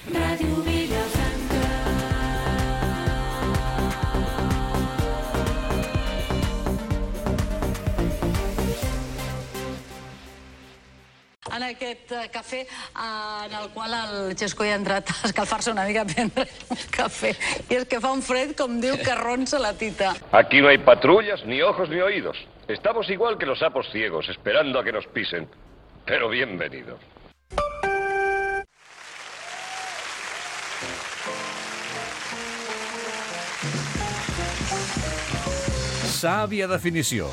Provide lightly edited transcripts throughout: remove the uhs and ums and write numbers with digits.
Ràdio Vilafranca. En aquest cafè en el qual el Xesco hi ha entrat a escalfar-se una mica a prendre un cafè. I és que fa un fred, com diu, que ronsa la tita. Aquí no hay patrullas, ni ojos, ni oídos. Estamos igual que los sapos ciegos, esperando a que nos pisen. Pero bienvenidos. Sàvia definició.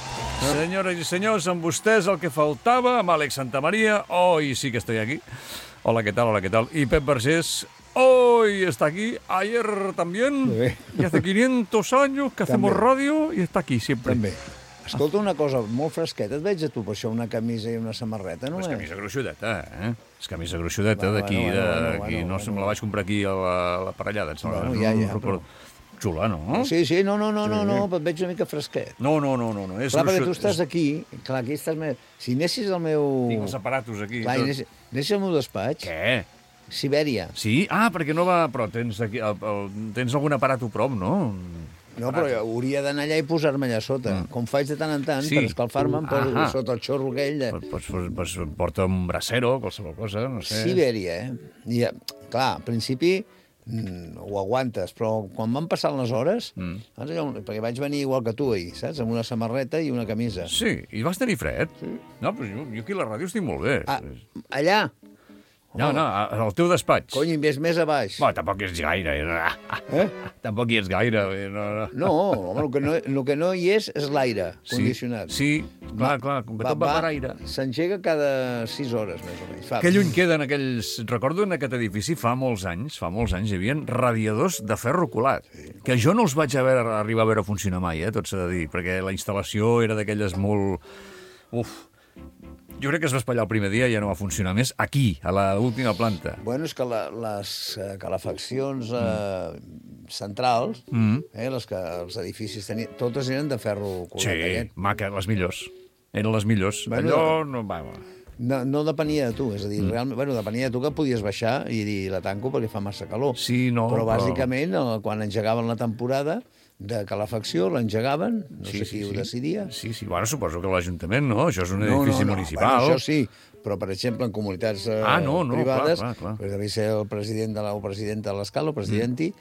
Senyores i senyors, amb vostès el que faltava, amb Àlex Santamaría, hoy sí que estoy aquí. Hola, ¿qué tal? Hola, ¿qué tal? Y Pep Vergés, hoy está aquí, ayer también, y hace 500 años que hacemos radio y está aquí sempre. També. Escolta, una cosa molt fresqueta, et veig a tu per això una camisa i una samarreta, no? És camisa gruixudeta, eh? És camisa gruixudeta d'aquí, no se me la vaig comprar aquí a la parellada. Bueno, ja, però... Xula, no? Sí, no, però et veig una mica fresquet. No, és clar, perquè tu estàs aquí, clar, aquí estàs més... Si anessis al meu... Tinc els aparatos aquí. Clar, anessis al meu despatx... Què? Sibèria. Sí? Ah, perquè no va... Però tens aquí... Tens algun aparat a prop, no? No, però hauria d'anar allà i posar-me allà sota. Com faig de tant en tant, per escalfar-me, em poso sota el xorro aquell. Pues porta un bracero, qualsevol cosa, no sé. Sibèria, I, clar, al principi ho aguantes, però quan van passant les hores, perquè vaig venir igual que tu ahir, saps? Amb una samarreta i una camisa. Sí, i vas tenir fred? Sí. No, però jo aquí a la ràdio estic molt bé. Allà? No, al teu despatx. Cony, més a baix. Bueno, tampoc hi ets gaire. Tampoc hi ets gaire. No, home, el que no hi és l'aire condicionat. Sí, clar, com que tot va per aire. S'engega cada 6 hores, més o menys. Que lluny queden aquells... Recordo en aquest edifici, fa molts anys, hi havia radiadors de ferro colat, que jo no els vaig arribar a veure funcionar mai, tot s'ha de dir, perquè la instal·lació era d'aquelles molt... Jo crec que es va espatllar el primer dia i ja no va funcionar més aquí, a l'última planta. Bueno, és que les calefaccions centrals, les que els edificis tenien, totes eren de ferro colat. Sí, maca, les millors. Eren les millors. Allò no va... No depenia de tu, és a dir, realment, depenia de tu que podies baixar i dir la tanco perquè fa massa calor. Sí, no, però bàsicament, quan engegaven la temporada de calefacció, l'engegaven, no sé qui ho decidia. Sí, bueno, suposo que l'Ajuntament, no? Això és un edifici municipal. Bueno, això sí, però, per exemple, en comunitats privades, devia ser el president o presidenta de l'escala, o presidenti,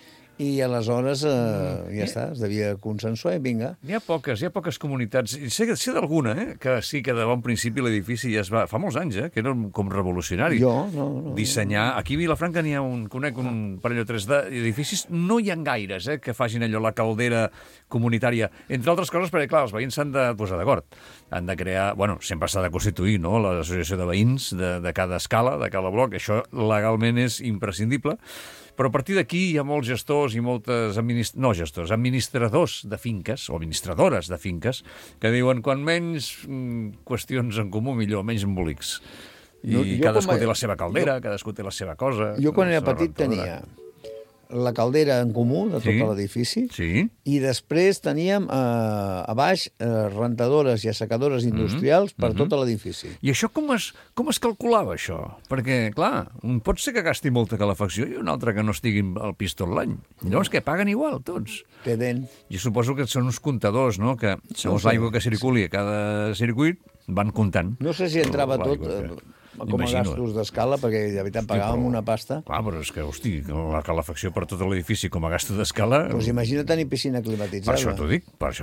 i aleshores ja està, es devia consensuar i vinga. Hi ha poques comunitats, sé d'alguna, que sí que de bon principi l'edifici ja es va... Fa molts anys, que era com revolucionari. No. Dissenyar... Aquí a Vilafranca n'hi ha conec un parell o tres d'edificis, no hi ha gaires que facin allò, la caldera comunitària, entre altres coses, perquè, clar, els veïns s'han de posar d'acord. Han de crear... Bueno, sempre s'ha de constituir, no?, l'associació de veïns de cada escala, de cada bloc. Això legalment és imprescindible. Però a partir d'aquí hi ha molts gestors i moltes administradors de finques, o administradores de finques, que diuen quan menys qüestions en comú, millor, menys embolics. I cadascú té la seva caldera, cadascú té la seva cosa. Jo quan era petit tenia la caldera en comú de tot l'edifici, i després teníem a baix rentadores i assecadores industrials per tot l'edifici. I això com es calculava, això? Perquè, clar, pot ser que gasti molta calefacció i un altre que no estigui al pis tot l'any. Llavors, que paguen igual, tots. Tenen. Jo suposo que són uns comptadors, no?, que segons l'aigua que circuli a cada circuit van comptant. No sé si entrava tot... com a gastos d'escala, perquè de veritat pagàvem una pasta. Clar, però és que, hosti, la calefacció per tot l'edifici com a gasto d'escala... Doncs imagina tenir piscina climatitzada. Per això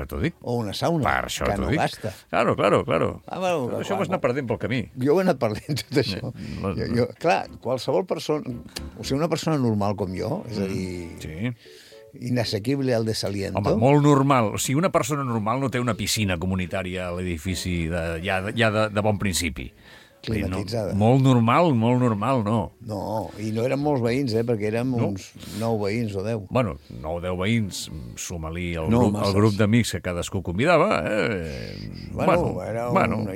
t'ho dic. O una sauna, que no gasta. Claro. Això ho has anat perdent pel camí. Jo ho he anat perdent, tot això. Clar, qualsevol persona... O sigui, una persona normal com jo, és a dir... inassequible al desaliento. Home, molt normal. O sigui, una persona normal no té una piscina comunitària a l'edifici ja de bon principi. Climatitzada. Molt normal, no. No, i no eren molts veïns, perquè érem uns 9 veïns o 10. Bueno, 9 o 10 veïns, suma-li el grup d'amics que cadascú convidava. Hi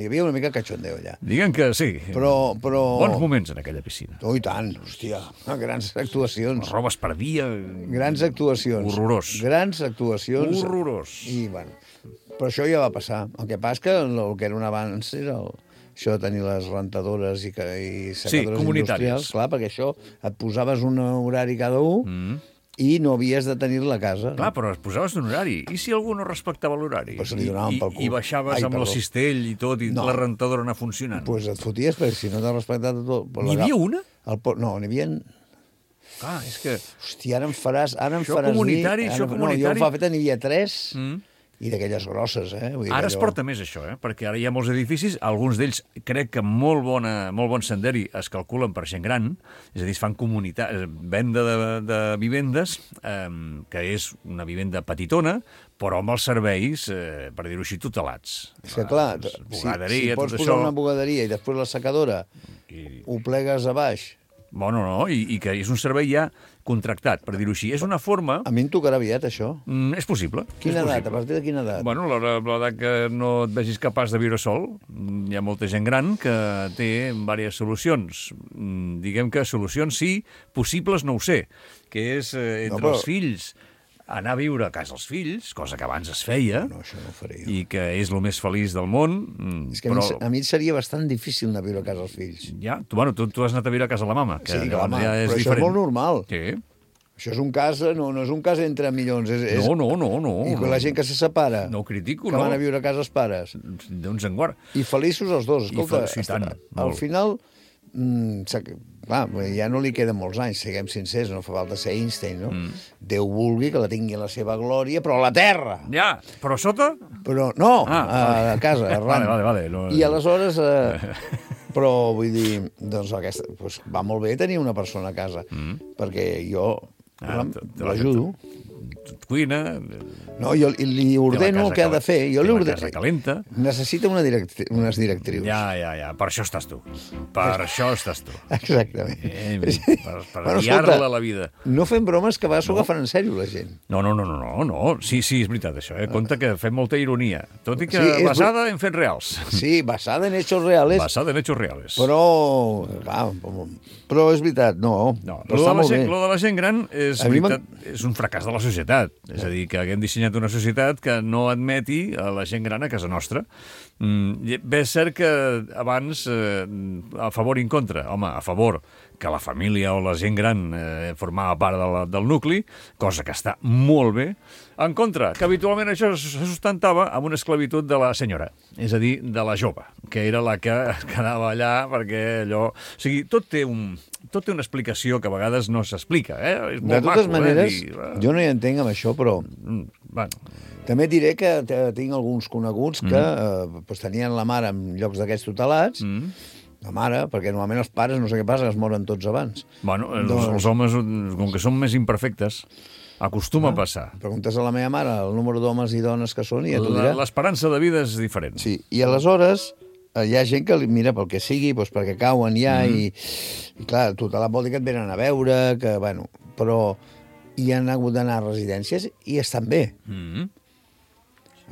havia una mica cachondeo allà. Diguem que sí. Però... Bons moments en aquella piscina. Oh, i tant, hòstia, grans actuacions. El roba es perdia. Grans actuacions. Horrorós. Grans actuacions. Horrorós. I, bueno, però això ja va passar. El que passa que el que era un abans era això de tenir les rentadores i secadores comunitàries. industrials, clar, perquè això et posaves un horari cada un i no havies de tenir la casa. Clar, però es posaves un horari. I si algú no respectava l'horari? Pues li donaven pel cul. I baixaves amb el cistell i tot, i la rentadora anar funcionant? Doncs et foties, perquè si no t'has respectat tot... N'hi havia una? No, n'hi havia... Clar, és que... Hòstia, ara em faràs això comunitari, dir... això comunitari... No, jo fa feta n'hi havia 3... I d'aquelles grosses, Vull dir ara es porta més això, perquè ara hi ha molts edificis, alguns d'ells crec que molt bon senderi es calculen per gent gran, és a dir, es fan venda de vivendes, que és una vivenda petitona, però amb els serveis, per dir-ho així, tutelats. És que clar, si pots posar una bugaderia i després la secadora ho plegues a baix... Bueno, no, i que és un servei ja contractat, per dir-ho així. És una forma... A mi em tocarà aviat, això. És possible. Quina edat? A partir de quina edat? Bueno, l'edat que no et vegis capaç de viure sol. Hi ha molta gent gran que té diverses solucions. Diguem que solucions sí, possibles no ho sé, que és entre els fills... anar a viure a casa dels fills, cosa que abans es feia, no, això no ho faré jo. I que és el més feliç del món. És que però... a mi seria bastant difícil anar a viure a casa dels fills. Ja, tu has anat a viure a casa de la mama, que sí, la mama, ja és però diferent. Això és molt normal. Sí. Això és un cas, no és un cas entre milions. No. I la gent que se separa. No ho critico, que van a viure a casa els pares. Doncs en guard. I feliços els dos. Escolta, al final... clar, ja no li queden molts anys, siguem sincers, no fa falta ser Einstein, no? Déu vulgui que la tingui a la seva glòria, però a la terra! Ja, però sota? Però no, a casa, arran. Vale. No, I aleshores... però vull dir, doncs va molt bé tenir una persona a casa, perquè jo l'ajudo. Cuina... No, jo li ordeno el que ha de fer. Jo li ordeno... La casa calenta. Necessita unes directrius. Ja. Per això estàs tu. Exactament. Per guiar-la la vida. No fem bromes, que a vegades s'ho agafen en sèrio, la gent. No. Sí, és veritat, això. Compte que fem molta ironia. Tot i que basada en fets reals. Sí, basada en hechos reales. Però és veritat, no. Lo de la gent gran és veritat, és un fracàs de la societat. És a dir, que haguem dissenyat una societat que no admeti a la gent gran a casa nostra. Bé, és cert que abans, a favor i en contra, home, a favor que la família o la gent gran formava part del nucli, cosa que està molt bé. En contra, que habitualment això se sustentava amb una esclavitud de la senyora, és a dir, de la jove, que era la que quedava allà perquè allò... O sigui, tot té una explicació que a vegades no s'explica. És molt de totes maneres, jo no hi entenc amb això, però... També diré que tinc alguns coneguts que tenien la mare en llocs d'aquests tutelats, la mare, perquè normalment els pares, no sé què passa, es moren tots abans. Bueno, els homes, com que són més imperfectes, acostuma a passar. Preguntes a la meva mare el número d'homes i dones que són i ja t'ho dirà. L'esperança de vida és diferent. Sí, i aleshores hi ha gent que mira pel que sigui, doncs perquè cauen ja i clar, tutelat vol dir que et venen a veure, que, bueno, però hi han hagut d'anar a residències i estan bé.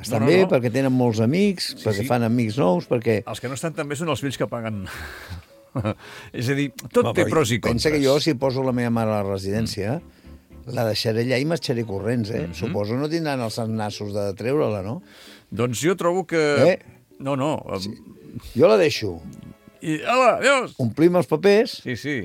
Estan bé perquè tenen molts amics, perquè fan amics nous, perquè... Els que no estan tan bé són els fills que paguen... És a dir, tot té pros i contres. Pensa que jo, si poso la meva mare a la residència, la deixaré allà i marxaré corrents, Suposo no tindran els nassos de treure-la, no? Doncs jo trobo que... No. Sí. Jo la deixo. Hola, adiós! Omplim els papers... Sí.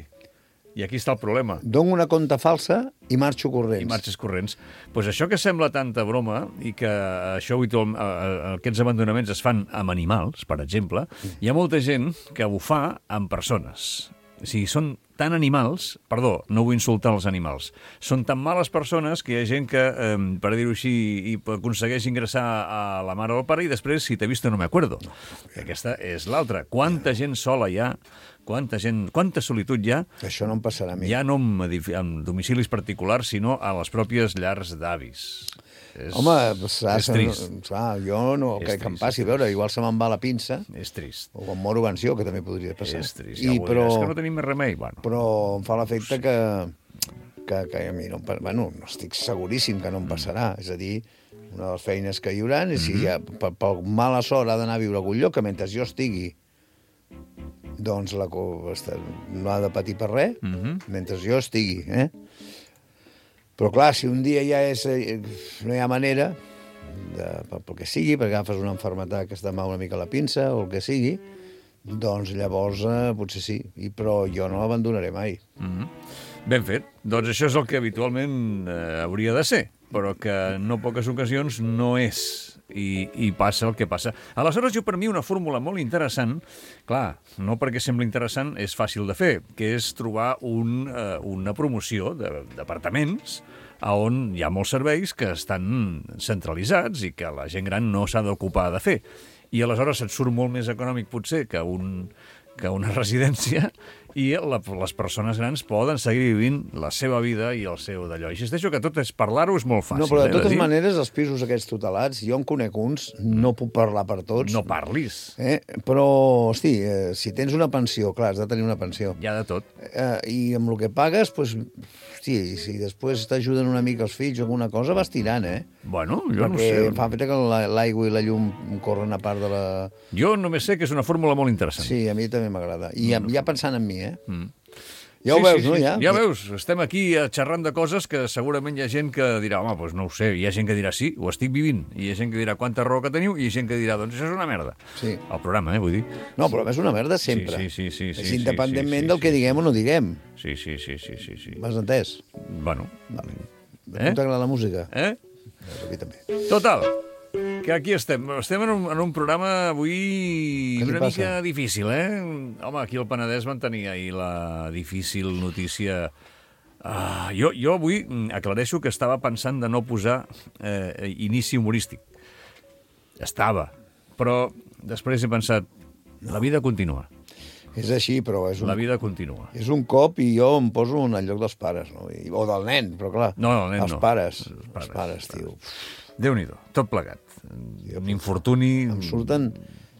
I aquí està el problema. Dono una compta falsa i marxo corrents. I marxes corrents. Doncs això que sembla tanta broma i que això aquests abandonaments es fan amb animals, per exemple, hi ha molta gent que ho fa amb persones. O sigui, són tan animals... Perdó, no vull insultar els animals. Són tan males persones que hi ha gent que, per dir-ho així, aconsegueix ingressar a la mare o al pare i després, si t'he vist, no me acuerdo. Aquesta és l'altra. Quanta gent sola hi ha, quanta solitud hi ha... Això no em passarà a mi. Ja no en domicilis particulars, sinó a les pròpies llars d'avis. Home, és trist. Jo no crec que em passi. A veure, igual se me'n va la pinça. És trist. O em moro pensió, que també podria passar. És trist, ja però... És que no tenim més remei. Bueno. Però em fa l'efecte que a mi no estic seguríssim que no em passarà. És a dir, una de les feines que hi haurà és si per mala sort ha d'anar a viure a algun lloc, que mentre jo estigui doncs no ha de patir per res, mentre jo estigui, Però, clar, si un dia ja no hi ha manera, pel que sigui, perquè agafes una malaltia que es demà una mica la pinça, o el que sigui, doncs llavors potser sí, però jo no l'abandonaré mai. Ben fet. Doncs això és el que habitualment hauria de ser, però que en no poques ocasions no és. I passa el que passa. Aleshores, jo per mi una fórmula molt interessant, clar, no perquè sembli interessant, és fàcil de fer, que és trobar una promoció d'apartaments on hi ha molts serveis que estan centralitzats i que la gent gran no s'ha d'ocupar de fer. I aleshores et surt molt més econòmic potser que una residència i les persones grans poden seguir vivint la seva vida i el seu d'allò. Insisteixo que tot és parlar-ho és molt fàcil. No, però de totes maneres, els pisos aquests tutelats, jo en conec uns, no puc parlar per tots. No parlis. Però, hosti, si tens una pensió, clar, has de tenir una pensió. Hi ha de tot. I amb el que pagues, doncs, hosti, si després t'ajuden una mica els fills o alguna cosa, vas tirant, Bueno, jo no sé. Perquè fa que l'aigua i la llum corren a part de la... Jo només sé que és una fórmula molt interessant. Sí, a mi també m'agrada. I ja pensant en mi, Ja ho veus, no? Ja veus, estem aquí xerrant de coses que segurament hi ha gent que dirà, home, doncs no ho sé, hi ha gent que dirà sí, ho estic vivint, i hi ha gent que dirà quanta raó que teniu, i hi ha gent que dirà, doncs això és una merda. Sí. El programa, vull dir. No, però és una merda sempre. Sí. És independentment del que diguem o no diguem. Sí. M'has entès? Bueno. Vale. A tu t'agrada la música? A mi també. Total, que aquí estem. Estem en un programa avui una mica difícil, Home, aquí al Penedès van tenir ahir la difícil notícia. Jo avui aclareixo que estava pensant de no posar inici humorístic. Estava, però després he pensat, la vida continua. És així, però la vida continua. És un cop i jo em poso en el lloc dels pares, no? O del nen, però clar. No, del nen els pares, tio. Déu-n'hi-do, tot plegat. Un infortuni... Em surten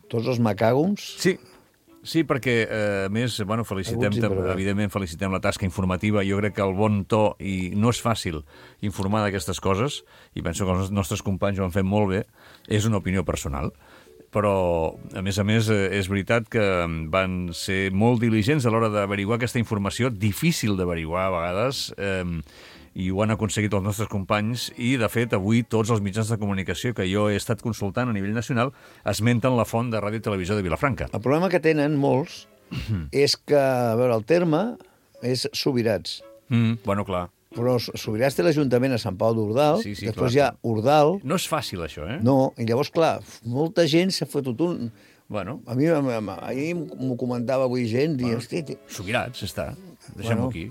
tots els macàgums. Sí, perquè, a més, evidentment felicitem la tasca informativa. Jo crec que el bon to, i no és fàcil informar d'aquestes coses, i penso que els nostres companys ho han fet molt bé, és una opinió personal. Però, a més, és veritat que van ser molt diligents a l'hora d'averiguar aquesta informació, difícil d'averiguar a vegades, i ho han aconseguit els nostres companys, i, de fet, avui tots els mitjans de comunicació que jo he estat consultant a nivell nacional esmenten la font de Ràdio i Televisió de Vilafranca. El problema que tenen molts és que, a veure, el terme és Subirats. Bueno, clar. Però Subirats té l'Ajuntament a Sant Pau d'Ordal, després hi ha Ordal... No és fàcil, això, No, i llavors, clar, molta gent s'ha fotut un... Bueno. A mi ahir m'ho comentava avui gent, i... Subirats, està. Deixem-ho aquí.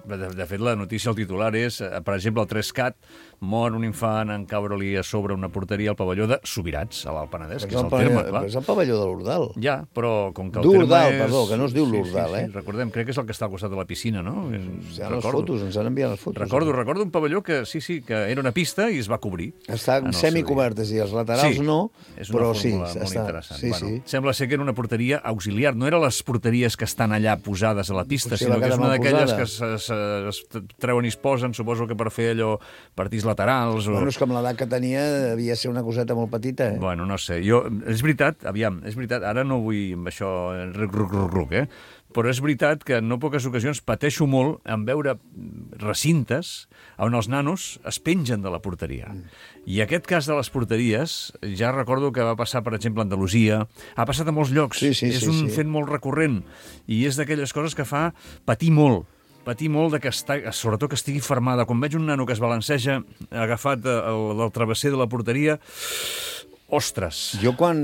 De fet, la notícia, el titular és, per exemple, el 3CAT, mor un infant en caure-li a sobre una porteria al pavelló de Subirats, a l'Alt Penedès, que és el terme, clar. És el pavelló de l'Ordal. Ja, però com que el terme és... D'Ordal, perdó, que no es diu l'Ordal, Sí, recordem, crec que és el que està al costat de la piscina, no? Hi ha les fotos, ens han enviat les fotos. Recordo un pavelló que, que era una pista i es va cobrir. Estan semicobertes i els laterals no, però sí. És una fórmula molt interessant. Sembla ser que era una porteria auxiliar, no eren les porteries que estan allà posades a la pista, sinó que és una d'aquelles que es treuen i es posen, suposo que per fer allò partits laterals. Bueno, és com l'edat que tenia, devia ser una coseta molt petita, Bueno, no sé, és veritat, ara no vull amb això ruc, però és veritat que en no poques ocasions pateixo molt en veure recintes on els nanos es pengen de la porteria. I aquest cas de les porteries, ja recordo que va passar, per exemple, a Andalusia, ha passat a molts llocs, és un fet molt recurrent, i és d'aquelles coses que fa patir molt de que sobretot que estigui fermada. Quan veig un nano que es balanceja agafat del travesser de la porteria, ostres. Jo quan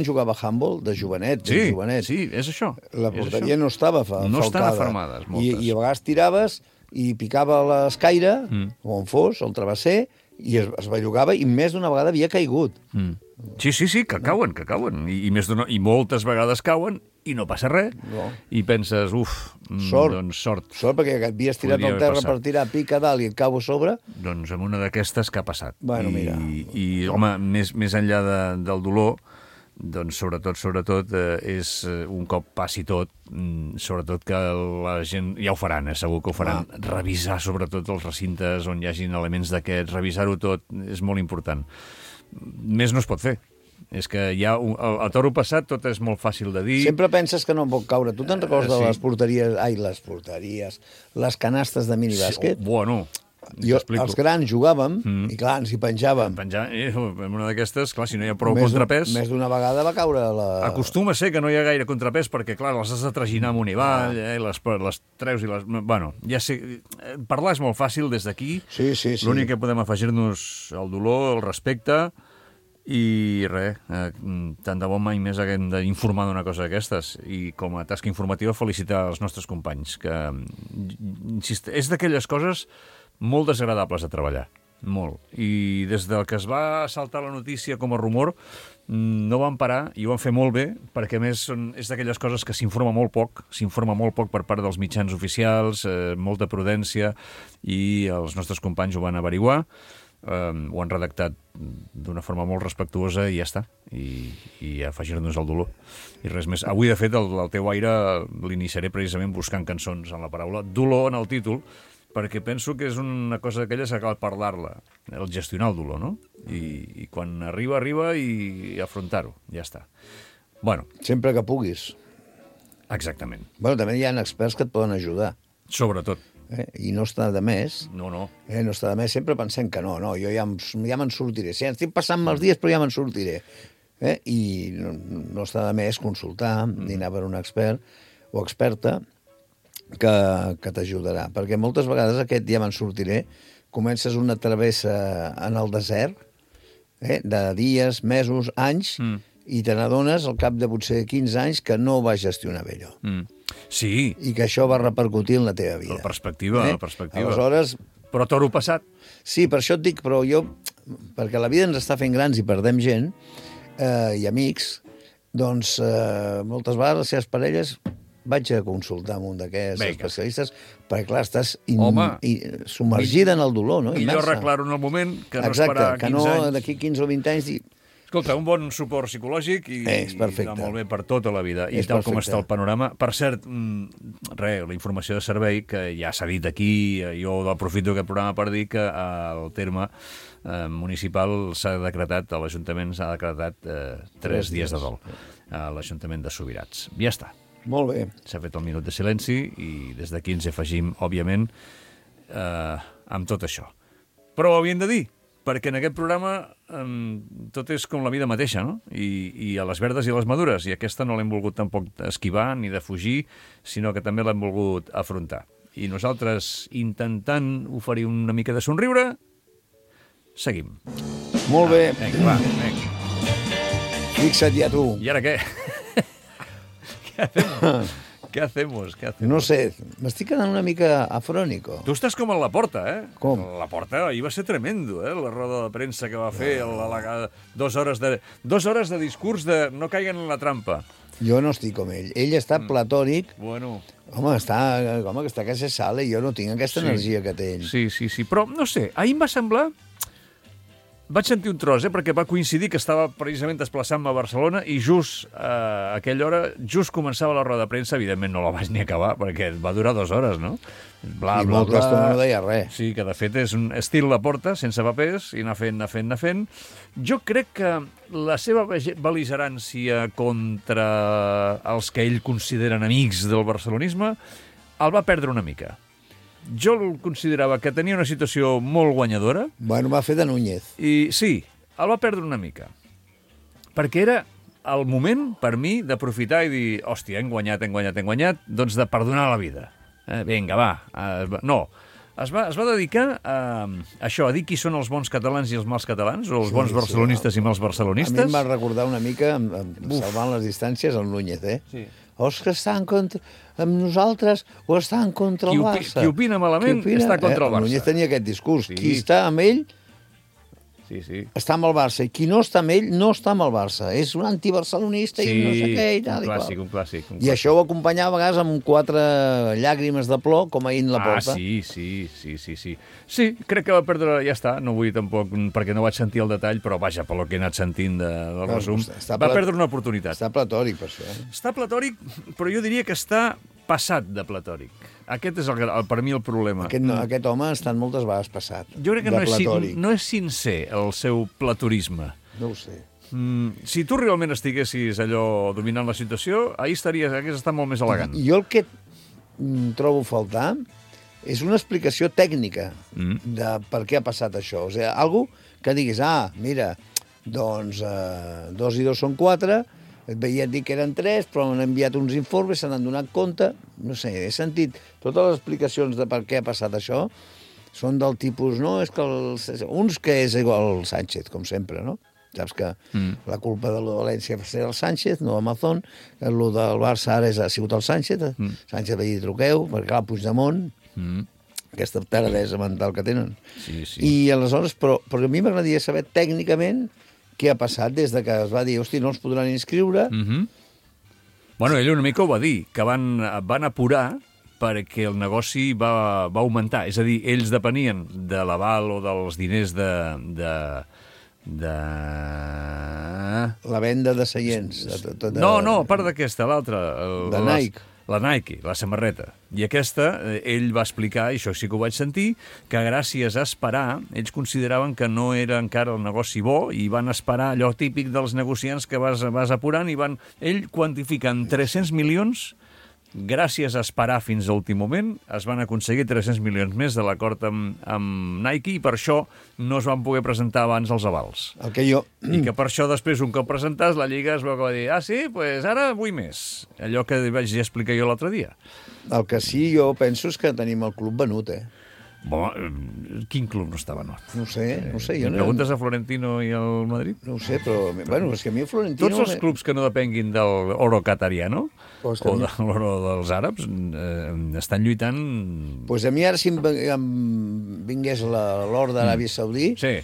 jugava a handball, de jovenet, sí, és això. La porteria no estava falcada. No estan fermades, moltes. I a vegades tiraves i picava l'escaire, o on fos, el travesser, i es bellugava, i més d'una vegada havia caigut. Sí, que cauen. I moltes vegades cauen, i no passa res. I penses, sort. Sort, perquè havies tirat al terra per tirar pica a dalt i et cau a sobre. Doncs amb una d'aquestes que ha passat. Bueno, mira. I home, més enllà del dolor, doncs sobretot és un cop passi tot, sobretot que la gent ja ho faran, segur que ho faran, revisar sobretot els recintes on hi hagin elements d'aquests, revisar-ho tot és molt important. Més no es pot fer. És que ja a toro passat tot és molt fàcil de dir. Sempre penses que no pot caure. Tu te'n recordes de les porteries, les canastes de minibàsquet? Bueno, Els grans jugàvem, i clar, ens hi penjàvem. En una d'aquestes, clar, si no hi ha prou contrapès... Més d'una vegada va caure la... Acostuma a ser que no hi ha gaire contrapès, perquè, clar, les has de traginar amunt i avall, les treus i les... Bueno, ja sé... Parlar és molt fàcil des d'aquí. Sí. L'únic que podem afegir-nos el dolor, el respecte, i res, tant de bo mai més haguem d'informar d'una cosa d'aquestes, i com a tasca informativa felicitar els nostres companys, que és d'aquelles coses molt desagradables de treballar, molt, i des del que es va saltar la notícia com a rumor no van parar i ho van fer molt bé, perquè a més és d'aquelles coses que s'informa molt poc per part dels mitjans oficials, molta prudència, i els nostres companys ho van averiguar, ho han redactat d'una forma molt respectuosa i ja està, i afegir-nos el dolor i res més. Avui, de fet, el teu aire l'iniciaré precisament buscant cançons en la paraula dolor en el títol, perquè penso que és una cosa d'aquelles que cal parlar-la, el gestionar el dolor, no? I quan arriba i afrontar-ho, ja està. Bueno. Sempre que puguis. Exactament. Bueno, també hi ha experts que et poden ajudar. Sobretot. I no està de més. No. No està de més, sempre pensem que no, jo ja me'n sortiré. Sí, estic passant mals dies, però ja me'n sortiré. I no està de més consultar, dinar per un expert o experta que t'ajudarà. Perquè moltes vegades aquest ja me'n sortiré, comences una travessa en el desert, de dies, mesos, anys, i te n'adones al cap de potser 15 anys que no vas gestionar bé allò. Sí. I que això va repercutir en la teva vida. La perspectiva. Aleshores... Però toro passat. Sí, per això et dic, però jo... Perquè la vida ens està fent grans i perdem gent, i amics, doncs moltes vegades les seves parelles vaig a consultar amb un d'aquests especialistes, perquè clar, estàs submergida en el dolor, no? Millor arreglar-ho en el moment que no esperar 15 anys. Exacte, que no d'aquí 15 o 20 anys dir... Escolta, un bon suport psicològic i va molt bé per tota la vida. I tal com està el panorama. Per cert, la informació de servei, que ja s'ha dit aquí, jo aprofito aquest programa per dir que el terme municipal s'ha decretat, a l'Ajuntament s'ha decretat 3 dies de dol a l'Ajuntament de Subirats. Ja està. Molt bé. S'ha fet el minut de silenci i des d'aquí ens afegim, òbviament, amb tot això. Però ho havíem de dir, perquè en aquest programa tot és com la vida mateixa, no? I a les verdes i a les madures, i aquesta no l'hem volgut tampoc esquivar ni defugir, sinó que també l'hem volgut afrontar. I nosaltres, intentant oferir una mica de somriure, seguim. Molt bé. Vinga. Fixa't ja tu. I ara què? ¿Qué hacemos? No sé, m'estic quedant una mica afrònico. Tu estàs com a la Porta, eh? Com? La Porta, ahir va ser tremendo, la roda de premsa que va fer, 2 hores de discurs de no caiguen en la trampa. Jo no estic com ell. Ell està platònic. Bueno. Home, que està a casa sala i jo no tinc aquesta energia que té ell. Sí. Però, no sé, ahir em va semblar... Vaig sentir un tros, perquè va coincidir que estava precisament desplaçant-me a Barcelona i just a aquella hora, just començava la roda de premsa, evidentment no la vaig ni acabar, perquè va durar 2 hores, no? I molta estona no deia res. Sí, que de fet és un estil La Porta, sense papers, i anar fent. Jo crec que la seva bel·ligerància contra els que ell considera enemics del barcelonisme el va perdre una mica. Jo el considerava que tenia una situació molt guanyadora. Bueno, va fer de Núñez. I sí, el va perdre una mica. Perquè era el moment, per mi, d'aprofitar i dir, hòstia, hem guanyat, doncs de perdonar la vida. Vinga, va. No, es va dedicar a això, a dir qui són els bons catalans i els mals catalans, o els bons barcelonistes i mals barcelonistes. A mi em va recordar una mica, salvant les distàncies, el Núñez, Sí. O els que estan amb nosaltres o estan contra el Barça. Qui opina malament està contra el Barça. Núñez tenia aquest discurs. Sí. Qui està amb ell està amb el Barça. I qui no està amb ell no està amb el Barça. És un antibarcelonista i no sé què. Un clàssic. I això ho acompanyava a vegades amb 4 llàgrimes de plor, com ahir en La Porta. Sí, crec que va perdre... Ja està, no vull tampoc, perquè no vaig sentir el detall, però vaja, pel que he anat sentint del resum, va perdre una oportunitat. Està platòric, per això. Està platòric, però jo diria que està passat de platòric. Aquest és per mi el problema. Aquest home ha estat moltes vegades passat. Jo crec que no és sincer el seu platorisme. No ho sé. Si tu realment estiguessis allò dominant la situació, ahir hagués estat molt més elegant. Jo el que trobo a faltar és una explicació tècnica de per què ha passat això. O sigui, algú que diguis, mira, doncs 2 i 2 són 4, et veia dir que eren 3, però han enviat uns informes, se n'han donat compte, no sé, he sentit totes les explicacions de per què ha passat això, són del tipus, no, és que uns que és igual el Sánchez, com sempre, no? Saps que la culpa de la València va ser el Sánchez, no Amazon, el del Barça ara ha sigut el Sánchez, Sánchez va dir truqueu, perquè clar, Puigdemont, aquesta taradesa mental que tenen. Sí, sí. I aleshores, però a mi m'agradaria saber tècnicament què ha passat des de que es va dir, hosti, no els podran inscriure. Bueno, ell una mica ho va dir, que van apurar perquè el negoci va augmentar. És a dir, ells depenien de l'aval o dels diners de La venda de seients. No, a part d'aquesta, l'altra. De Nike. La Nike, la samarreta. I aquesta, ell va explicar, i això sí que ho vaig sentir, que gràcies a esperar, ells consideraven que no era encara el negoci bo i van esperar allò típic dels negociants que vas apurant i ell quantifica en 300 milions. Gràcies a esperar fins a l'últim moment, es van aconseguir 300 milions més de l'acord amb Nike i per això no es van poder presentar abans els avals. El que jo... I que per això després, un cop presentats, la Lliga es veu que va dir sí, doncs ara vull més. Allò que vaig explicar jo l'altre dia. El que sí, jo penso és que tenim el club venut, Bon, quin club no està venut? No sé, jo no... Preguntes a Florentino i al Madrid? No ho sé, però... Bueno, és que a mi Florentino... Tots els clubs que no depenguin del oro catariano o de l'oro dels àrabs estan lluitant... Doncs a mi ara si em vingués l'or d'Aràbia Saudí... Sí.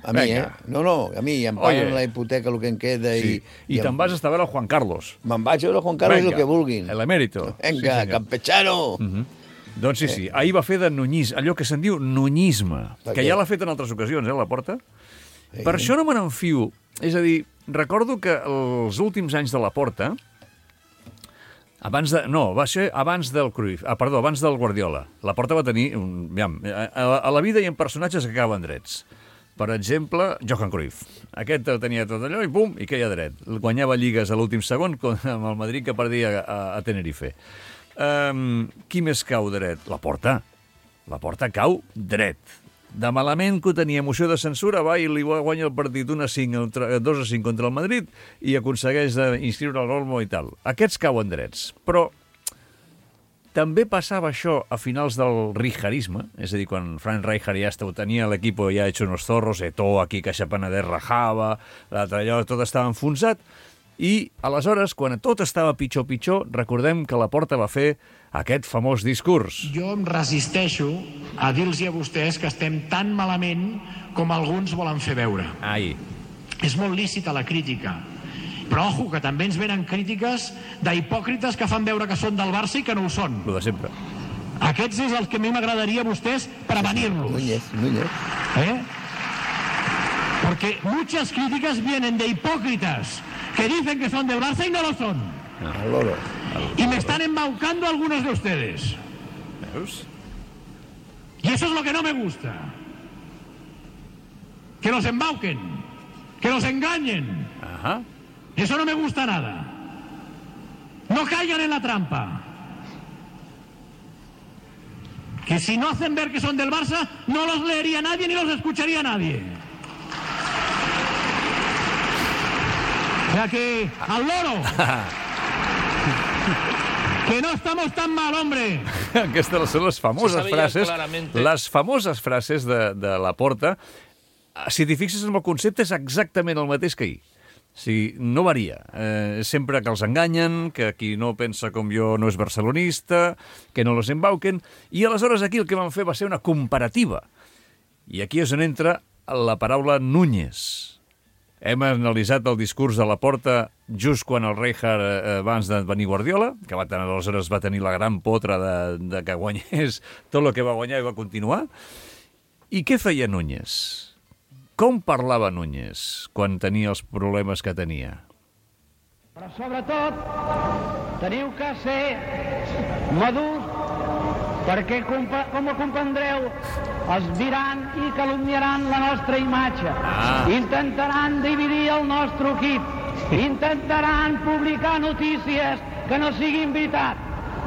A mi, No, a mi, em paguen la hipoteca, el que em queda... Sí. I te'n vas a estar a veure el Juan Carlos. Me'n vaig a veure Juan Carlos el que vulguin. El emèrito. Vinga, sí, campechano! Doncs sí, ahir va fer de nunyisme, allò que se'n diu nunyisme, que ja l'ha fet en altres ocasions, la Porta. Per això no me n'enfio. És a dir, recordo que els últims anys de la Porta, abans del Cruyff, abans del Guardiola, la Porta va tenir... A la vida hi ha personatges que acaben drets. Per exemple, Johan Cruyff. Aquest tenia tot allò i pum, i queia dret. Guanyava lligues a l'últim segon amb el Madrid que perdia a Tenerife. Qui més cau dret? La Porta. La Porta cau dret. De malament que tenia moció de censura, va i li guanya el partit 2-5 contra el Madrid i aconsegueix inscriure el Olmo i tal. Aquests cauen drets. Però també passava això a finals del rijkarisme, és a dir, quan Frank Rijkaard ja tenia l'equip ja hecho unos zorros, Eto'o aquí, Caixa Penedès rajava, l'altre allò, tot estava enfonsat. I, aleshores, quan tot estava pitjor, recordem que la Porta va fer aquest famós discurs. Jo em resisteixo a dir-los a vostès que estem tan malament com alguns volen fer veure. Ai. És molt lícita la crítica, però ojo, que també ens venen crítiques d'hipòcrites que fan veure que són del Barça i que no ho són. Lo de sempre. Aquests és els que a mi m'agradaria a vostès prevenir-los. Núñez. Porque muchas críticas vienen de hipócritas que dicen que son del Barça y no lo son. Y me están embaucando algunos de ustedes. Y eso es lo que no me gusta. Que los embauquen, que los engañen. Ajá. Eso no me gusta nada. No caigan en la trampa. Que si no hacen ver que son del Barça, no los leería nadie ni los escucharía nadie. O sea que, al loro, que no estamos tan mal, hombre. Aquestes són les famoses frases de la Porta. Si t'hi fixes en el concepte, és exactament el mateix que ahir. Sí, no varia. Sempre que els enganyen, que qui no pensa com jo no és barcelonista, que no los embauquen. I aleshores aquí el que van fer va ser una comparativa. I aquí és on entra la paraula Núñez. Hem analitzat el discurs de la Porta just quan el Rijkaard abans de venir Guardiola, que aleshores va tenir la gran potra de que guanyés tot el que va guanyar i va continuar. I què feia Núñez? Com parlava Núñez quan tenia els problemes que tenia? Però sobretot teniu que ser madurs perquè, com ho comprendreu, els diran i calumniaran la nostra imatge. Intentaran dividir el nostre equip. Intentaran publicar notícies que no siguin veritat.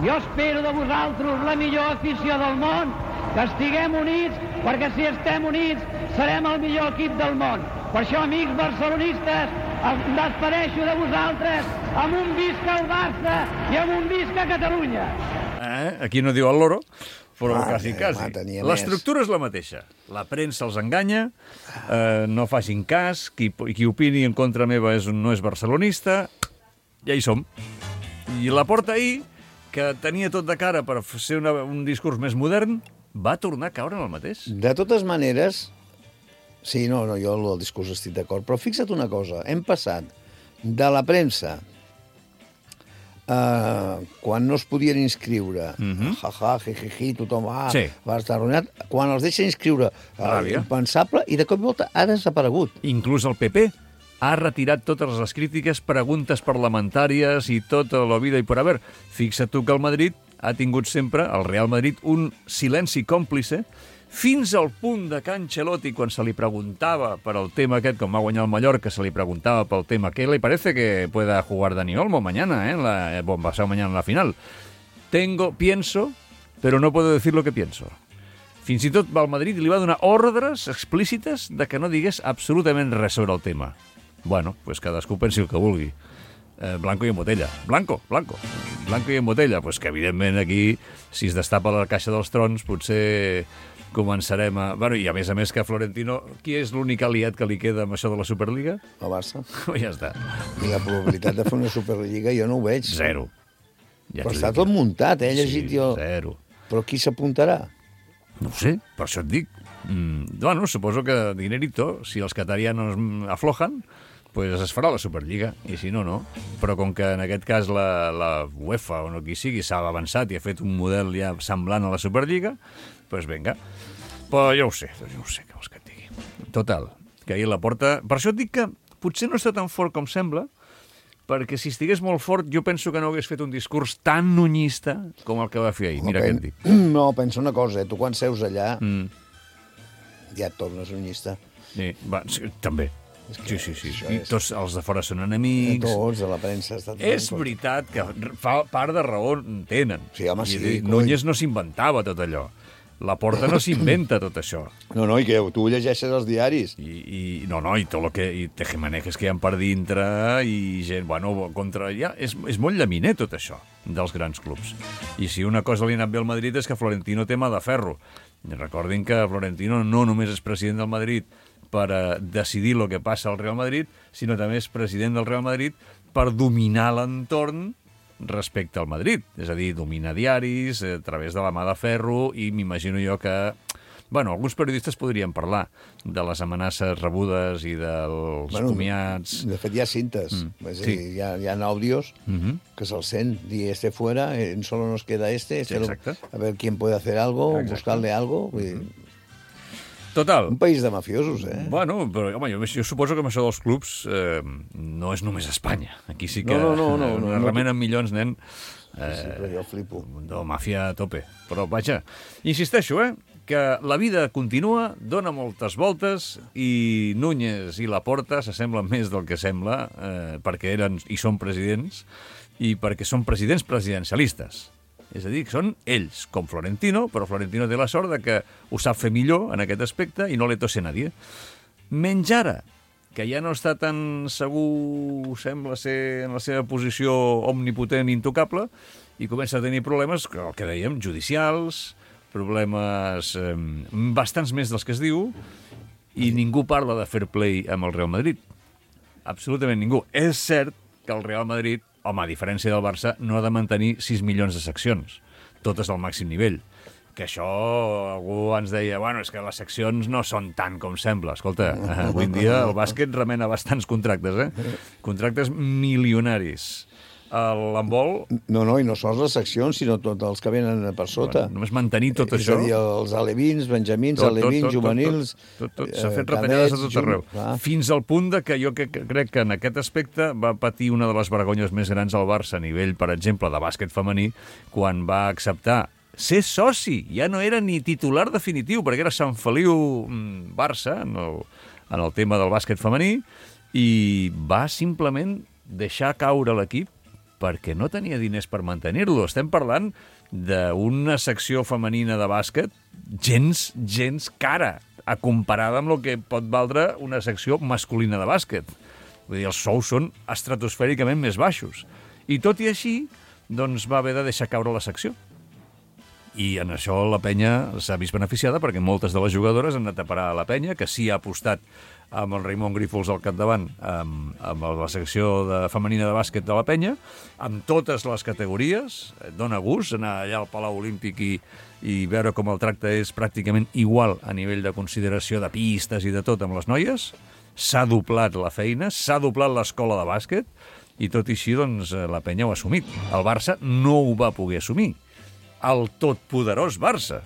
jo espero de vosaltres la millor afició del món, que estiguem units, perquè si estem units serem el millor equip del món. Per això, amics barcelonistes, em despedeixo de vosaltres amb un visca el Barça i amb un visca Catalunya. Aquí no diu el loro, però quasi. L'estructura és la mateixa. La premsa els enganya, no facin cas, qui opini en contra meva no és barcelonista, ja hi som. I Laporta ahir, que tenia tot de cara per ser un discurs més modern, va tornar a caure en el mateix. De totes maneres, sí, jo el discurs estic d'acord, però fixa't una cosa, hem passat de la premsa, quan no es podien inscriure, jijiji, tothom va estar arruïnat, quan els deixa inscriure, impensable, i de cop i volta ha desaparegut. Inclús el PP ha retirat totes les crítiques, preguntes parlamentàries i tota la vida i per haver. Fixa't tu que el Madrid ha tingut sempre, el Real Madrid, un silenci còmplice, fins al punt de que Ancelotti, quan se li preguntava per el tema aquest, com va guanyar el Mallorca, se li preguntava pel tema ¿qué le parece que pueda jugar Dani Olmo mañana, pasado mañana en la final? Pienso, pero no puedo decir lo que pienso. Fins i tot el Madrid li va donar ordres explícites de que no digués absolutament res sobre el tema. Bueno, pues cadascú pensi el que vulgui. Blanco i en botella. Blanco i en botella. Pues que, evidentment, aquí, si es destapa la caixa dels trons, potser començarem a... Bueno, i a més que Florentino... Qui és l'únic aliat que li queda amb això de la Superliga? El Barça. Ja està. I la probabilitat de fer una Superliga jo no ho veig. Zero. Però està tot muntat, he llegit jo. Zero. Però qui s'apuntarà? No ho sé, per això et dic. Bueno, suposo que dinerito, si els catarianos aflojan, pues es farà la Superliga, i si no, no. Però com que en aquest cas la UEFA o no qui sigui s'ha avançat i ha fet un model ja semblant a la Superliga, pues vinga. Però jo ho sé, què vols que et digui. Total, que ahir Laporta... Per això et dic que potser no està tan fort com sembla, perquè si estigués molt fort jo penso que no hagués fet un discurs tan nunyista com el que va fer ahir. Mira què et dic. No, pensa una cosa, tu quan seus allà ja et tornes nunyista. Sí, també. Sí. I tots els de fora són enemics. Tots, de la premsa. És veritat que part de raó en tenen. Sí, home, sí. Núñez no s'inventava tot allò. Laporta no s'inventa tot això. No, i que tu llegeixes els diaris. I tot el que... I tejemanejes que hi ha per dintre i gent, contra... Ja, és molt llaminer tot això dels grans clubs. I si una cosa li ha anat bé al Madrid és que Florentino té mà de ferro. Recordin que Florentino no només és president del Madrid per decidir el que passa al Real Madrid, sinó també és president del Real Madrid per dominar l'entorn respecte al Madrid. És a dir, domina diaris a través de la mà de ferro i m'imagino jo que... alguns periodistes podrien parlar de les amenaces rebudes i dels comiats... De fet, hi ha cintes. És a dir, hi ha àudios que se'l sent. Dir, fuera, solo nos queda a ver quién puede hacer algo, buscarle algo... Total. Un país de mafiosos, Però home, jo suposo que amb això dels clubs no és només Espanya. Aquí sí que remenen milions, nen. Sí, però jo flipo. De màfia a tope. Però, vaja, insisteixo, que la vida continua, dona moltes voltes i Núñez i Laporta s'assemblen més del que sembla perquè eren i són presidents i perquè són presidents presidencialistes. És a dir, que són ells, com Florentino, però Florentino té la sort de que ho sap fer millor en aquest aspecte i no le tose nadie. Menys ara, que ja no està tan segur, sembla ser en la seva posició omnipotent i intocable, i comença a tenir problemes, el que dèiem, judicials, problemes bastants més dels que es diu, i ningú parla de fair play amb el Real Madrid. Absolutament ningú. És cert que el Real Madrid, home, a diferència del Barça, no ha de mantenir 6 milions de seccions, totes al màxim nivell. Que això, algú ens deia, és que les seccions no són tant com sembla. Escolta, avui en dia el bàsquet remena bastants contractes, Contractes milionaris. L'handbol... No, i no sols les seccions, sinó tots els que venen per sota. Només mantenir tot això... És a dir, els alevins, benjamins, alevins, juvenils... Tot. S'ha fet retallades a tot arreu. Fins al punt de que jo crec que en aquest aspecte va patir una de les vergonyes més grans al Barça a nivell, per exemple, de bàsquet femení, quan va acceptar ser soci. Ja no era ni titular definitiu, perquè era Sant Feliu Barça, en el tema del bàsquet femení, i va simplement deixar caure l'equip perquè no tenia diners per mantenir-lo. Estem parlant d'una secció femenina de bàsquet gens cara, comparada amb el que pot valdre una secció masculina de bàsquet. Vull dir, els sous són estratosfèricament més baixos. I tot i així, doncs va haver de deixar caure la secció. I en això la penya s'ha vist beneficiada perquè moltes de les jugadores han anat a parar a la penya, que sí ha apostat amb el Raimon Grífols al capdavant, amb la secció femenina de bàsquet de la penya, amb totes les categories. Dóna gust anar allà al Palau Olímpic i veure com el tracte és pràcticament igual a nivell de consideració de pistes i de tot amb les noies. S'ha doblat la feina, s'ha doblat l'escola de bàsquet, i tot i així, doncs, la penya ho ha assumit. El Barça no ho va poder assumir. El totpoderós Barça.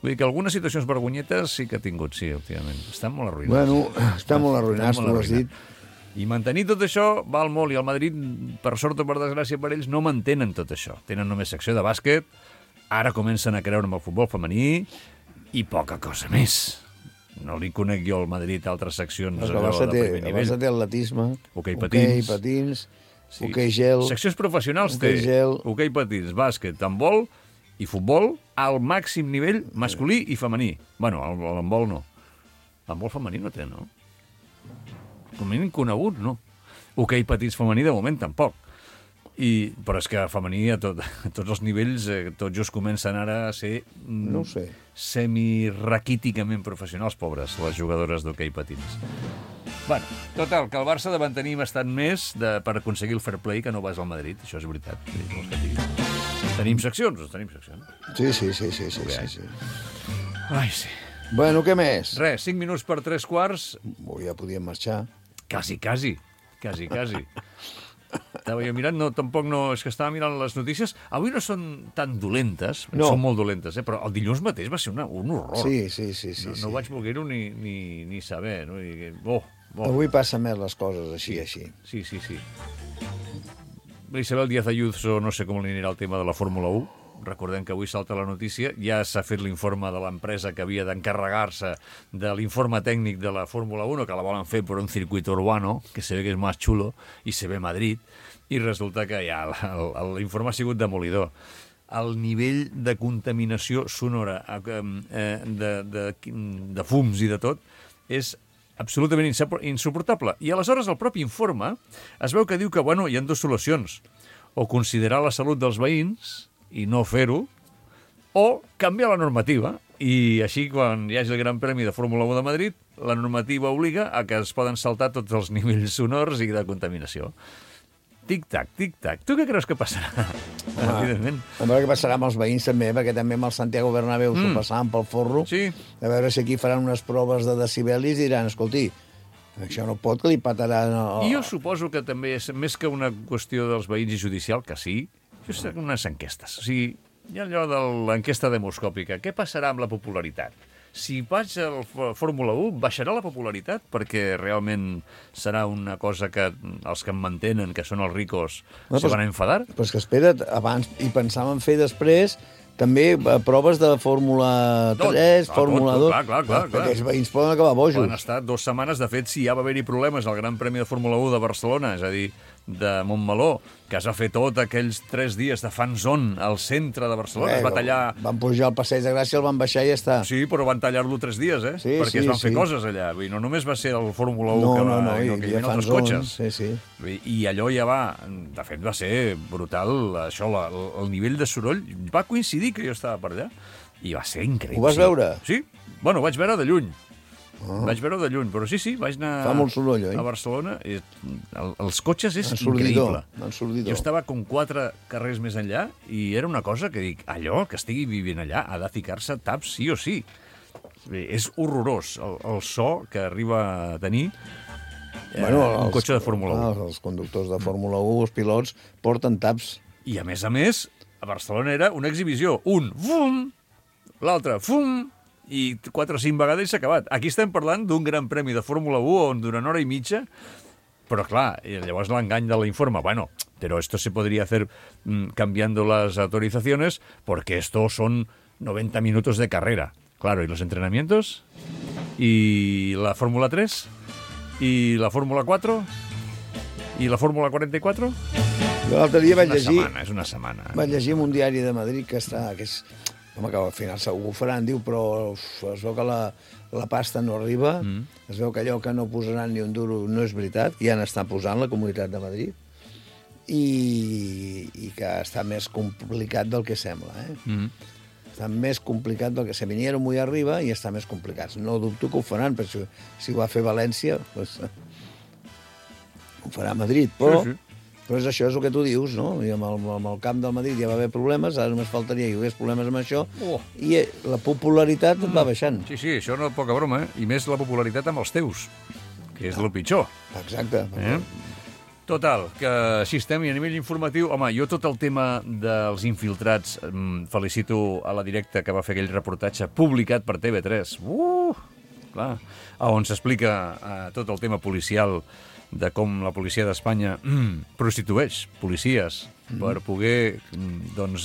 Vull dir que algunes situacions vergonyetes sí que ha tingut, sí, últimament. Estan molt arruïnats. Bueno, estan molt arruïnats, tu ho has dit. I mantenir tot això val molt, i el Madrid, per sort o per desgràcia per ells, no mantenen tot això. Tenen només secció de bàsquet, ara comencen a creure amb el futbol femení, i poca cosa més. No li conec jo al Madrid altres seccions de primer nivell. El Barça té atletisme, hoquei patins, hoquei gel... Seccions professionals té hoquei patins, bàsquet, handbol i futbol al màxim nivell masculí i femení. Bueno, l'handbol no. L'handbol femení no té, no? Com a mínim conegut, no. Hoquei patins femení de moment tampoc. Però és que femení a tots els nivells, tots just comencen ara a ser no ho sé, semi-raquíticament professionals, pobres, les jugadores d'hoquei patins. Bueno, total, que el Barça ha de mantenir bastant més per aconseguir el fair play que no vas al Madrid, això és veritat. Tenim seccions? Tenim seccions. Sí. Ai, sí. Bueno, què més? Res, 5 minuts per 3/4. Ja podíem marxar. Quasi. Estava jo mirant, tampoc no, és que estava mirant les notícies. Avui no són tan dolentes, són molt dolentes, però el dilluns mateix va ser un horror. Sí. No vaig voler-ho ni saber. No? Avui passen més les coses així. Sí. Isabel Díaz Ayuso, no sé com li anirà el tema de la Fórmula 1. Recordem que avui salta la notícia, ja s'ha fet l'informe de l'empresa que havia d'encarregar-se de l'informe tècnic de la Fórmula 1, que la volen fer per un circuito urbano, que se ve que és més xulo, i se ve Madrid, i resulta que ja l'informe ha sigut demolidor. El nivell de contaminació sonora, de fums i de tot, és absolutament insuportable. I aleshores el propi informe es veu que diu que, hi ha dues solucions. O considerar la salut dels veïns i no fer-ho, o canviar la normativa. I així, quan hi hagi el Gran Premi de Fórmula 1 de Madrid, la normativa obliga a que es poden saltar tots els nivells sonors i de contaminació. Tic-tac. Tu què creus que passarà? Evidentment. A veure què passarà amb els veïns també, perquè també amb el Santiago Bernabéu s'ho passaven pel forro. Sí. A veure si aquí faran unes proves de decibelis i diran, escolti, això no pot, que li pataran... I jo suposo que també és més que una qüestió dels veïns i judicial, que sí, això són unes enquestes. O sigui, hi ha allò de l'enquesta demoscòpica. Què passarà amb la popularitat? Si vaig a la Fórmula 1, baixarà la popularitat? Perquè realment serà una cosa que els que em mantenen, que són els ricos, se van a enfadar? Però és que espera't, abans hi pensàvem fer després també proves de Fórmula 3, Fórmula 2... Clar. Perquè els veïns poden acabar bojos. Poden estar 2 setmanes. De fet, si ja va haver-hi problemes al Gran Premi de Fórmula 1 de Barcelona, és a dir, de Montmeló, que es va fer tot aquells 3 dies de fan-zone al centre de Barcelona, es va tallar... Van pujar al Passeig de Gràcia, el van baixar i ja està. Sí, però van tallar-lo 3 dies, perquè es van fer coses allà. Vull dir, no només va ser el Fórmula 1 que hi havia altres cotxes. Sí. I allò ja va... De fet, va ser brutal, això, el nivell de soroll. Va coincidir que jo estava per allà i va ser increïble. Ho vas veure? Sí. Bueno, vaig veure de lluny. Vaig veure de lluny, però sí, vaig anar Fa molt soroll, oi? A Barcelona. Els cotxes és increïble. Ensordidor. Jo estava com 4 carrers més enllà i era una cosa que dic, allò que estigui vivint allà ha de ficar-se taps sí o sí. És horrorós el so que arriba a tenir un cotxe de Fórmula 1. Els conductors de Fórmula 1, els pilots, porten taps. I a més, a Barcelona era una exhibició. Un, fum, l'altre, fum, i 4 o 5 vegades i s'ha acabat. Aquí estem parlant d'un gran premi de Fórmula 1 on durant hora i mitja, però clar, llavors l'engany de l'informe, pero esto se podría hacer cambiando las autorizaciones porque esto son 90 minutos de carrera. Claro, ¿y los entrenamientos? ¿Y la Fórmula 3? ¿Y la Fórmula 4? ¿Y la Fórmula 44? Jo l'altre dia vaig llegir... És una setmana. Vaig llegir en un diari de Madrid que és... Home, que al final segur que ho faran, diu, però es veu que la pasta no arriba, es veu que allò que no posaran ni un duro no és veritat, ja n'està posant la Comunitat de Madrid, i que està més complicat del que sembla, Està més complicat del que sembla. Vinieron muy arriba i està més complicat. No dubto que ho faran, però si ho va fer València, doncs ho farà Madrid, però... Sí. Però és això, és el que tu dius, no? I amb el camp del Madrid ja va haver problemes, ara només faltaria que hi hagués problemes amb això, i la popularitat va baixant. Sí, això no és poca broma, I més la popularitat amb els teus, que és el pitjor. Exacte. Total, que així estem, i a nivell informatiu, home, jo tot el tema dels infiltrats felicito a la Directa que va fer aquell reportatge publicat per TV3, clar, on s'explica tot el tema policial de com la policia d'Espanya prostitueix policies per poder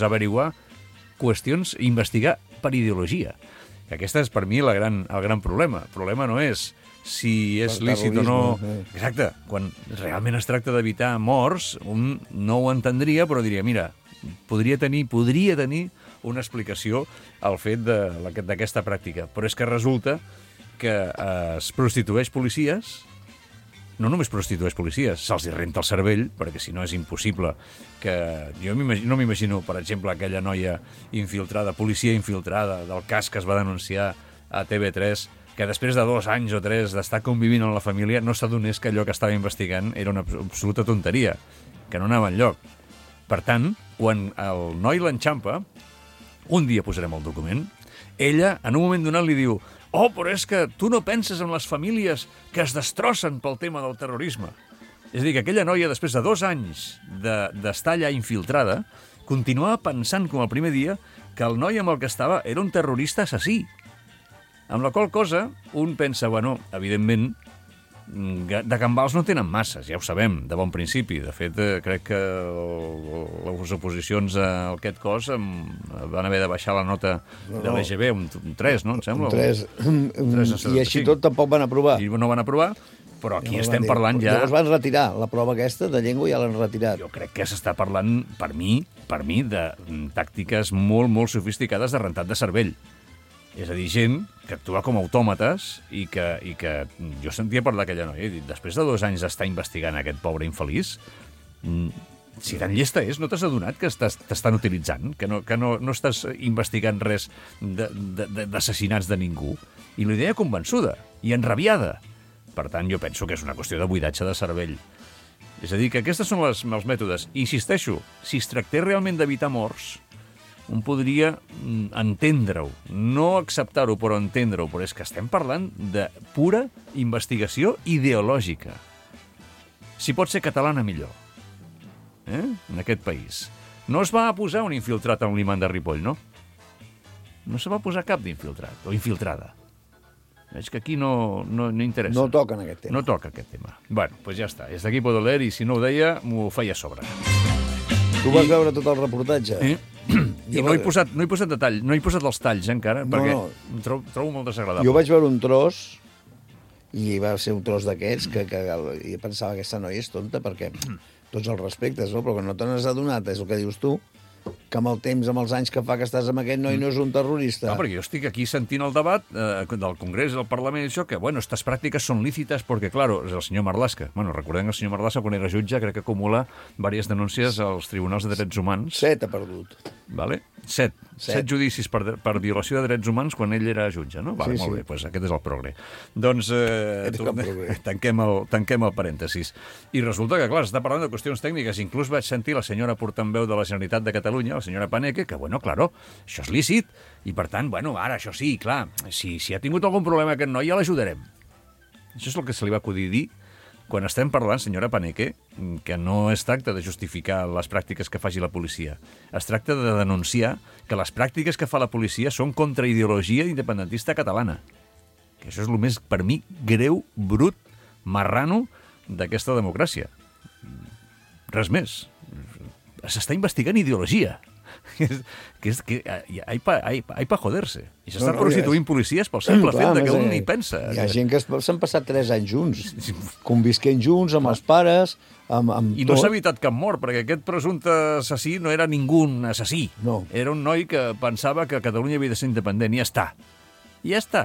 averiguar qüestions i investigar per ideologia. Que aquesta és per mi el gran problema. El problema no és si és lícit o no... Exacte. Quan realment es tracta d'evitar morts, un no ho entendria, però diria, mira, podria tenir una explicació al fet d'aquesta pràctica. Però és que resulta que es prostitueix policies. No només prostitueix policies, se'ls renta el cervell, perquè si no és impossible que... Jo no m'imagino, per exemple, aquella noia infiltrada, policia infiltrada, del cas que es va denunciar a TV3, que després de 2 anys o 3 d'estar convivint amb la família no s'adonés que allò que estava investigant era una absoluta tonteria, que no anava enlloc. Per tant, quan el noi l'enxampa, un dia posarem el document, ella, en un moment donat, li diu: oh, però és que tu no penses en les famílies que es destrossen pel tema del terrorisme. És a dir, que aquella noia, després de 2 anys d'estar allà infiltrada, continuava pensant, com el primer dia, que el noi amb el que estava era un terrorista assassí. Amb la qual cosa, un pensa, bueno, evidentment, de gambals no tenen masses, ja ho sabem, de bon principi. De fet, crec que les oposicions a aquest cos van haver de baixar la nota de l'EGB, un 3, no? Em sembla? Un 3. I així tot tampoc van aprovar. I no van aprovar, però aquí estem parlant ja... Llavors van retirar la prova aquesta de llengua, ja l'han retirat. Jo crec que s'està parlant, per mi, de tàctiques molt, molt sofisticades de rentat de cervell. És a dir, gent que actua com autòmates i que jo sentia parlar d'aquella noia i dic, després de 2 anys d'estar investigant aquest pobre infeliç, si tan llesta és, no t'has adonat que t'estan utilitzant, que no estàs investigant res d'assassinats de ningú? I la idea convençuda i enrabiada. Per tant, jo penso que és una qüestió de buidatge de cervell. És a dir, que aquestes són els mètodes. Insisteixo, si es tractés realment d'evitar morts, un podria entendre-ho, no acceptar-ho, però entendre-ho, però és que estem parlant de pura investigació ideològica. Si pot ser catalana, millor. En aquest país. No es va posar un infiltrat a un l'imant de Ripoll, no? No se va posar cap d'infiltrat, o infiltrada. Veig que aquí no interessa. No toca en aquest tema. No toca aquest tema. Bueno, doncs ja està. És d'aquí Poder i si no ho deia, m'ho feia a sobre. Tu vas veure tot el reportatge? I no he posat detall, no he posat els talls encara, perquè em trobo molt desagradable. Jo vaig veure un tros, i va ser un tros d'aquests, que jo pensava que aquesta noia és tonta, perquè tots els respectes, no? Però que no te n'has adonat, és el que dius tu, que amb el temps, amb els anys que fa que estàs amb aquest noi no és un terrorista. No, perquè jo estic aquí sentint el debat del Congrés, del Parlament, i això, que, bueno, estas pràctiques són lícites perquè, claro, és el senyor Marlaska. Bueno, recordem que el senyor Marlaska, quan era jutge, crec que acumula diverses denúncies als tribunals de drets humans. 7 ha perdut. Vale? 7 judicis per violació de drets humans quan ell era jutge, no? Vale, molt bé, doncs aquest és el progre. Doncs tanquem el parèntesis. I resulta que, clar, s'està parlant de qüestions tècniques. Inclús vaig sentir la senyora portaveu de la Generalitat de Catalunya, la senyora Paneque, que, bueno, claro, això és lícit. I, per tant, bueno, ara, això sí, clar, si ha tingut algun problema aquest noi, ja l'ajudarem. Això és el que se li va acudir dir quan estem parlant, senyora Paneque, que no es tracta de justificar les pràctiques que faci la policia. Es tracta de denunciar que les pràctiques que fa la policia són contra ideologia independentista catalana. Que això és el més, per mi, greu, brut, marrano d'aquesta democràcia. Res més. S'està investigant ideologia. que hay pa joderse. I s'està prostituint policies pel simple fet que un hi pensa. Hi ha gent que s'han passat 3 anys junts, convisquent junts amb els pares, I no s'ha evitat cap mort, perquè aquest presumpte assassí no era ningú assassí. No. Era un noi que pensava que Catalunya havia de ser independent, i ja està. I ja està.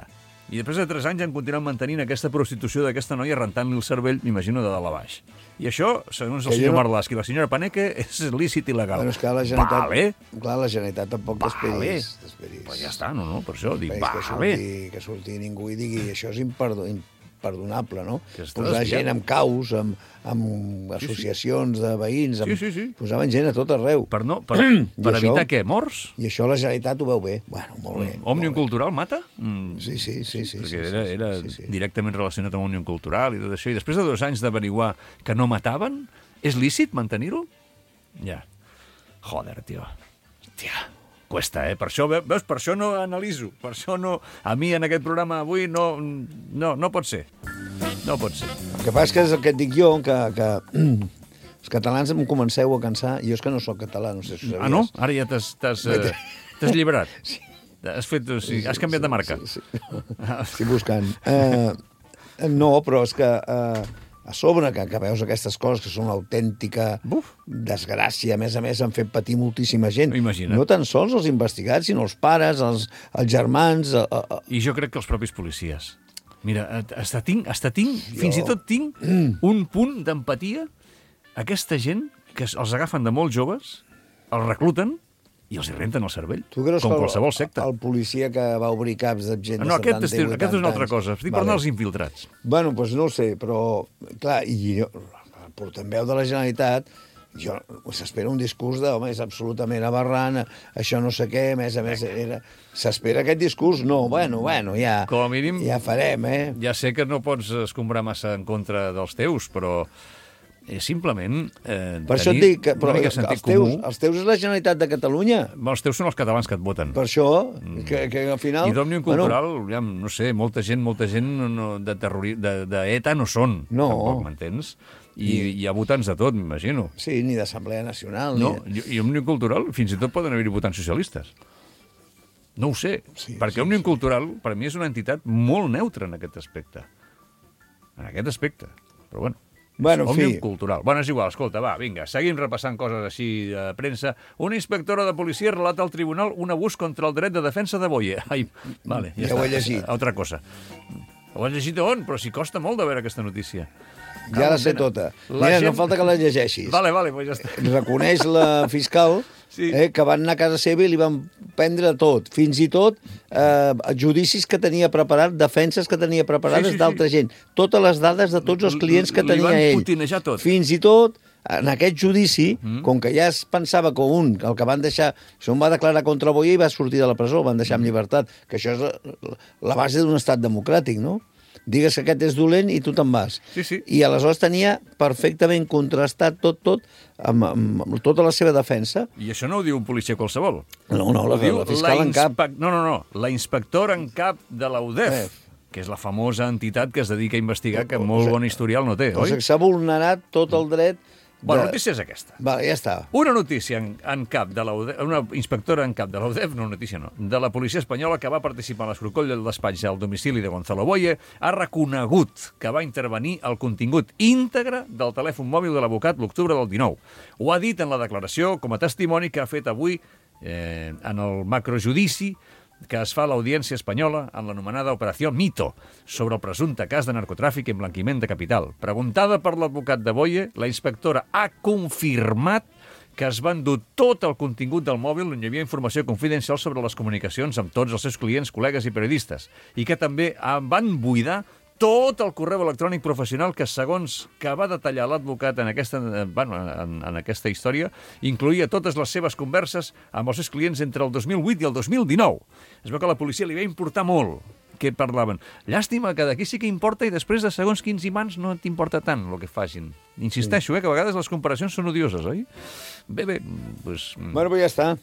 I després de 3 anys han continuat mantenint aquesta prostitució d'aquesta noia, rentant-li el cervell, m'imagino, de dalt a baix. I això, segons el senyor Marlaski i la senyora Paneque, és lícit i legal. Bueno, és que la Generalitat... Vale. Clar, la Generalitat tampoc t'esperis. Però ja està, no? Per això dic, que surti ningú i digui això és imperdonable, no? Posar gent amb caus, amb associacions de veïns, posaven gent a tot arreu. Per evitar què? Morts? I això la Generalitat ho veu bé. Bueno, molt bé. Òmnium Cultural mata? Sí. Perquè era directament relacionat amb Òmnium Cultural i tot això. I després de 2 anys d'averiguar que no mataven, és lícit mantenir-ho? Ja. Joder, tio. Hòstia. Cuesta, Per això, veus, per això no analitzo. Per això no... A mi, en aquest programa avui, no pot ser. No pot ser. El que passa és que et dic jo, que els catalans em comenceu a cansar. Jo és que no sóc català, no sé si ho sabies. Ah, no? Ara ja t'has lliberat. Sí. Has canviat de marca. Sí. Estic buscant. No, però és que... A sobre, que veus aquestes coses que són una autèntica desgràcia, a més han fet patir moltíssima gent. Imagina't. No tan sols els investigats, sinó els pares, els germans... I jo crec que els propis policies. Mira, fins i tot tinc un punt d'empatia. Aquesta gent que els agafen de molt joves, els recluten i els hi renten el cervell, com qualsevol secta. El policia que va obrir caps de gent de 70 i 80 anys... Aquest és una altra cosa. Estic parlant dels infiltrats. Bueno, doncs no ho sé, però... Clar, i jo, portaveu de la Generalitat, s'espera un discurs de, home, és absolutament aberrant, això no sé què, a més, s'espera aquest discurs? No, bueno, ja... Com a mínim... Ja farem, Ja sé que no pots escombrar massa en contra dels teus, però... simplement per això et dic, però els teus és la Generalitat de Catalunya. Els teus són els catalans que et voten. Per això, que al final... I d'Òmnium Cultural, no sé, molta gent d'ETA no són, tampoc, m'entens? I hi ha votants de tot, m'imagino. Sí, ni d'Assemblea Nacional. No, i Òmnium Cultural fins i tot poden haver-hi votants socialistes. No ho sé, perquè Òmnium Cultural per mi és una entitat molt neutra en aquest aspecte. Però bueno. Òmnium Cultural. Bueno, és igual, escolta, va, vinga, seguim repassant coses així de premsa. Una inspectora de policia relata al tribunal un abús contra el dret de defensa de Boye. Ai, vale, ja ho he llegit. Altra cosa. Ho has llegit on? Però si costa molt de veure aquesta notícia. Ja la sé tota. Mira, no falta que la llegeixis. Vale, pues ja està. Reconeix la fiscal que van anar a casa seva i li van prendre tot, fins i tot judicis que tenia preparat, defenses que tenia preparades d'altra gent. Totes les dades de tots els clients que tenia ell. Li van putinejar tot. Fins i tot, en aquest judici, com que ja es pensava que el que van deixar... Això va declarar contra Boye i va sortir de la presó, el van deixar amb llibertat, que això és la base d'un estat democràtic, no? Digues que aquest és dolent i tu te'n vas. Sí. I aleshores tenia perfectament contrastat tot, amb tota la seva defensa. I això no ho diu un policia qualsevol. No, la fiscal en cap. No, la inspectora en cap de la UDEF, que és la famosa entitat que es dedica a investigar, que molt bon historial no té, oi? S'ha vulnerat tot el dret... Bueno, la notícia és aquesta. Vale, ja està. Una notícia en cap de la UDEF, una inspectora en cap de la UDEF, no notícia no, de la policia espanyola que va participar en l'escrocoll del despatx al domicili de Gonzalo Boye, ha reconegut que va intervenir el contingut íntegre del telèfon mòbil de l'advocat l'octubre del 19. Ho ha dit en la declaració com a testimoni que ha fet avui en el macrojudici que es fa a l'Audiència Espanyola en l'anomenada Operació Mito sobre el presumpte cas de narcotràfic i emblanquiment de capital. Preguntada per l'advocat de Boye, la inspectora ha confirmat que es va endur tot el contingut del mòbil on hi havia informació confidencial sobre les comunicacions amb tots els seus clients, col·legues i periodistes, i que també van buidar tot el correu electrònic professional que, segons que va detallar l'advocat en aquesta història, incloïa totes les seves converses amb els seus clients entre el 2008 i el 2019. Es veu que a la policia li va importar molt què parlaven. Llàstima que d'aquí sí que importa i després de segons quins imants no t'importa tant el que facin. Insisteixo, que a vegades les comparacions són odioses, oi? Bé, doncs... Bueno, però ja està.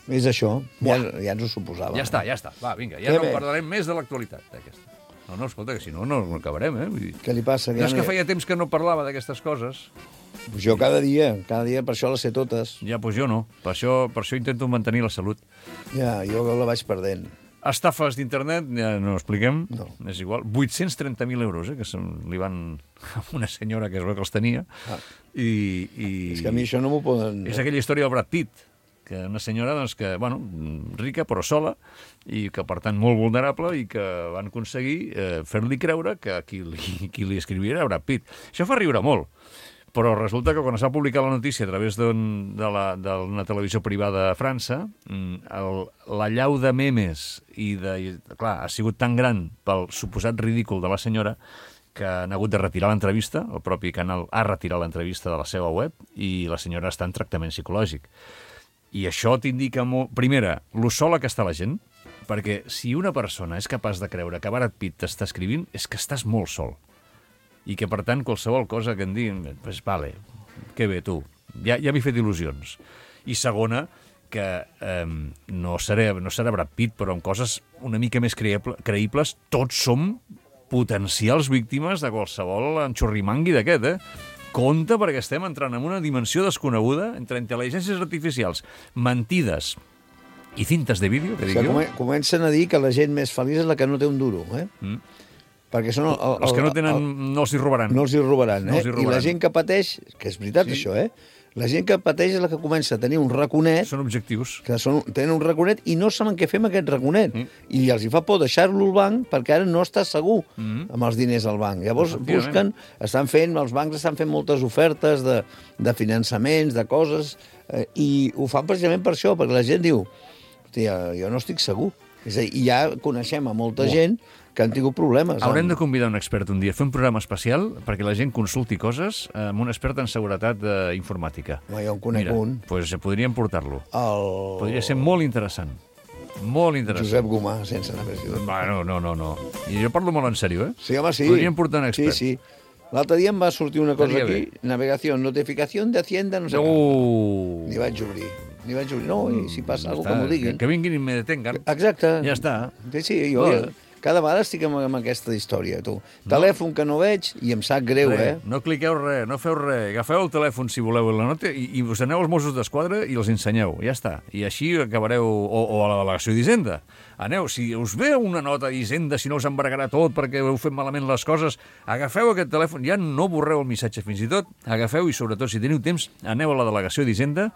És això. Ja ens ho suposava. Ja està. Va, vinga, ja no parlarem més de l'actualitat d'aquesta. No, escolta, que si no, no acabarem, eh? Vull dir... Què li passa? No és que feia temps que no parlava d'aquestes coses. Jo cada dia, per això les sé totes. Ja, doncs jo no. Per això intento mantenir la salut. Ja, jo la vaig perdent. Estafes d'internet, ja no ho expliquem, no. És igual. 830.000 euros, que li van a una senyora que es veu que els tenia. I... És que a mi això no m'ho poden... És aquella història del Brad Pitt, que una senyora doncs, que, bueno, rica però sola, i que, per tant, molt vulnerable, i que van aconseguir fer-li creure que qui li escrivia era Brad Pitt. Això fa riure molt. Però resulta que quan es va publicar la notícia a través d'una televisió privada a França, la llau de memes clar, ha sigut tan gran pel suposat ridícul de la senyora que han hagut de retirar l'entrevista, el propi canal ha retirat l'entrevista de la seva web i la senyora està en tractament psicològic. I això t'indica molt... Primera, lo sola que està la gent, perquè si una persona és capaç de creure que Brad Pitt t'està escrivint, és que estàs molt sol. I que, per tant, qualsevol cosa que em diguin, pues vale, que bé, tu, ja m'he fet il·lusions. I segona, que no serà Brad Pitt, però amb coses una mica més creïbles, tots som potencials víctimes de qualsevol enxorrimangui d'aquest, Compte, perquè estem entrant en una dimensió desconeguda entre intel·ligències artificials, mentides i cintes de vídeo, que dic jo. Comencen a dir que la gent més feliç és la que no té un duro, Perquè són els que no tenen, no els hi robaran. No els hi robaran, I la gent que pateix, que és veritat això, la gent que pateix és la que comença a tenir un raconet... Són objectius. Que tenen un raconet i no saben què fer amb aquest raconet. I els hi fa por deixar-lo al banc perquè ara no està segur amb els diners al banc. Llavors els bancs estan fent moltes ofertes de finançaments, de coses, i ho fan precisament per això, perquè la gent diu, hòstia, jo no estic segur. És a dir, ja coneixem a molta gent que han tingut problemes. Haurem de convidar un expert un dia, fer un programa especial perquè la gent consulti coses amb un expert en seguretat informàtica. Jo en conec un. Doncs podríem portar-lo. Podria ser molt interessant. Molt interessant. Josep Gomà, sense anar més lluny. Bueno, no. I jo parlo molt en sèrio, Sí, home, sí. Podríem portar un expert. Sí. L'altre dia em va sortir una cosa aquí, navegació, notificació de Hacienda, no sé què. Ni vaig obrir. No, i si passa alguna cosa que m'ho diguin. Que vinguin i me detengan. Exacte. Ja està. Sí, jo cada vegada estic amb aquesta història, tu. Telèfon que no veig i em sap greu, No cliqueu res, no feu res. Agafeu el telèfon, si voleu, la nota, i us aneu als Mossos d'Esquadra i els ensenyeu. Ja està. I així acabareu... O a la delegació d'Hisenda. Aneu, si us ve una nota d'Hisenda, si no us embargarà tot perquè heu fet malament les coses, agafeu aquest telèfon, ja no borreu el missatge fins i tot, agafeu i, sobretot, si teniu temps, aneu a la delegació d'Hisenda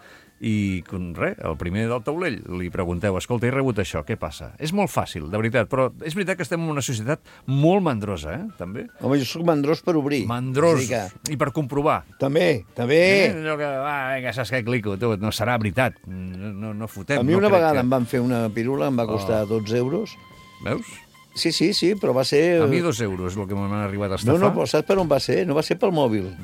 i, el primer del taulell, li pregunteu, escolta, he rebut això, què passa? És molt fàcil, de veritat, però és veritat que estem en una societat molt mandrosa, també. Home, jo soc mandrós per obrir. Mandrós, i per comprovar. També. Allò que, vinga, saps què clico, no serà veritat, no fotem. A mi una vegada em van fer una pirula, em va costar 12 euros. Veus? Sí, però va ser... A mi 2 euros és el que m'han arribat a estafar. No, però saps per on va ser? No va ser pel mòbil.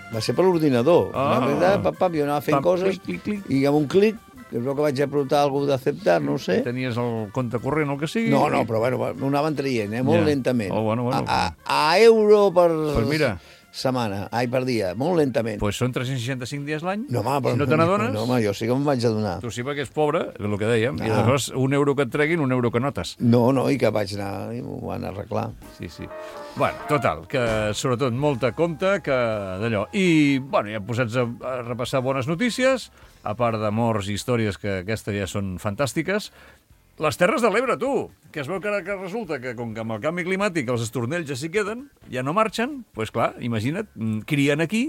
Va ser per l'ordinador. Jo anava fent coses i amb un clic, que es veu que vaig apuntar alguna d'acceptar, no ho sé. Tenies el compte corrent o el que sigui? No, però bueno, ho anaven traient, molt lentament. Bueno. A euro per setmana, per dia, molt lentament. Doncs són 365 dies l'any? No, home, si no te n'adones? No, home, jo sí que me'n vaig adonar. Tu sí perquè és pobre, és el que dèiem, i llavors un euro que et treguin, un euro que notes. No, i que vaig anar i m'ho van arreglar. Sí. Bueno, total, que sobretot molta compte que d'allò. I, ja posats a repassar bones notícies, a part de morts i històries que aquestes ja són fantàstiques, les Terres de l'Ebre, tu, que es veu que ara resulta que com que amb el canvi climàtic els estornells ja s'hi queden, ja no marxen, doncs clar, imagina't, crien aquí,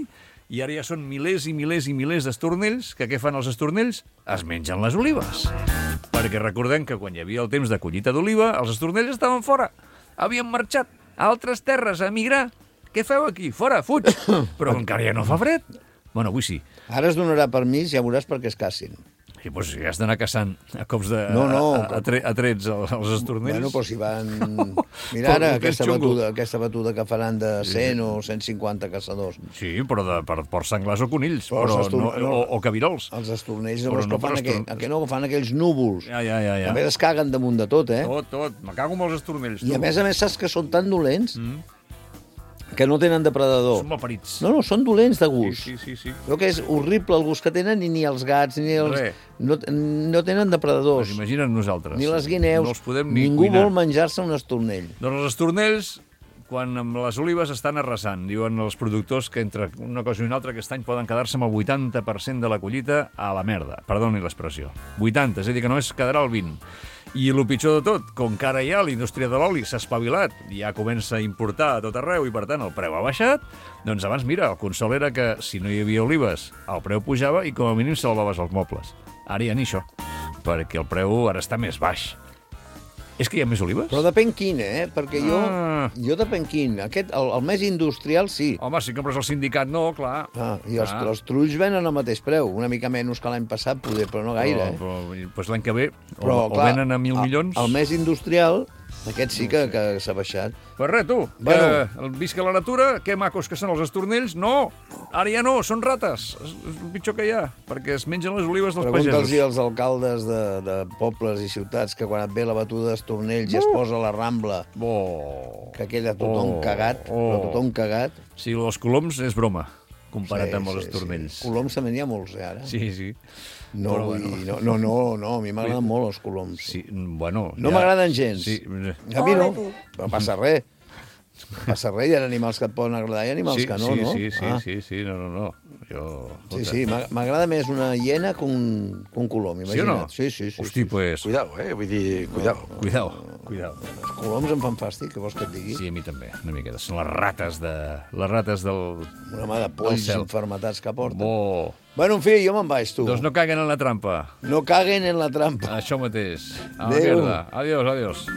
i ara ja són milers i milers i milers d'estornells, que què fan els estornells? Es mengen les olives. Perquè recordem que quan hi havia el temps de collita d'oliva, els estornells estaven fora, havien marxat a altres terres a emigrar. Què feu aquí? Fora, fuig! Però encara ja no fa fred. Bueno, avui sí. Ara es donarà permís, ja veuràs perquè es casin. I doncs ja has d'anar caçant a cops de... a trets als estornells. Bueno, però si van... Mira ara aquesta batuda que faran de 100 o 150 caçadors. Sí, però per porcs senglars o conills, o cabirols. Els estornells que no fan aquells núvols. Ja. A més es caguen damunt de tot, Tot. Me cago amb els estornells. I a més saps que són tan dolents que no tenen depredador. Són malparits. No, són dolents de gust. Sí. Però que és horrible el gust que tenen i ni els gats, ni els... No tenen depredadors. Pues imagina't nosaltres. Ni les guineus. No els podem ni Ningú cuinar. vol menjar-se un estornell. Doncs els estornells, quan amb les olives estan arrasant, diuen els productors que entre una cosa i una altra aquest any poden quedar-se amb el 80% de la collita a la merda. Perdoni l'expressió. 80, és a dir, que només quedarà el 20. I el pitjor de tot, com que ara ja la indústria de l'oli s'ha espavilat, ja comença a importar a tot arreu i, per tant, el preu ha baixat, doncs abans, mira, el consol era que si no hi havia olives, el preu pujava i com a mínim salvaves els mobles. Ara ja ni això, perquè el preu ara està més baix. És que hi ha més olives? Però depèn quin, Perquè jo depèn quin. El més industrial, sí. Home, si compres el sindicat, no, clar. I els trulls venen al mateix preu. Una mica menys que l'any passat, poder, però no gaire. Doncs l'any que ve o venen a 1.000 milions... El més industrial, aquest sí que s'ha baixat. Pues res, tu, visca la natura, que macos que són els estornells. No, ara ja no, són rates. És el pitjor que hi ha, perquè es mengen les olives dels pagesos. Pregunta'ls als alcaldes de pobles i ciutats que quan et ve la batuda d'estornells i es posa a la Rambla, que queda tothom cagat, però tothom cagat. Sí, els coloms és broma, comparat amb els estornells. Coloms també n'hi ha molts, ara. Sí. No, a mi m'agraden molt els coloms. Sí, bueno... No m'agraden gens. Sí. A mi no, no passa res. No passa res, hi ha animals que et poden agradar i animals que no, no? Sí, no. Sí, m'agrada més una hiena que un colom, imagina't. Sí o no? Sí. Hosti, pues... Cuidao, vull dir, cuidao. Els coloms em fan fàstic, què vols que et digui? Sí, a mi també, una miqueta. Són les rates del... Una mà de polls infermetats que porten. Bo. Bueno, en fi, jo me'n vaig, tu. Doncs no caguen en la trampa. No caguen en la trampa. Això mateix. A la Adéu. merda. Adiós.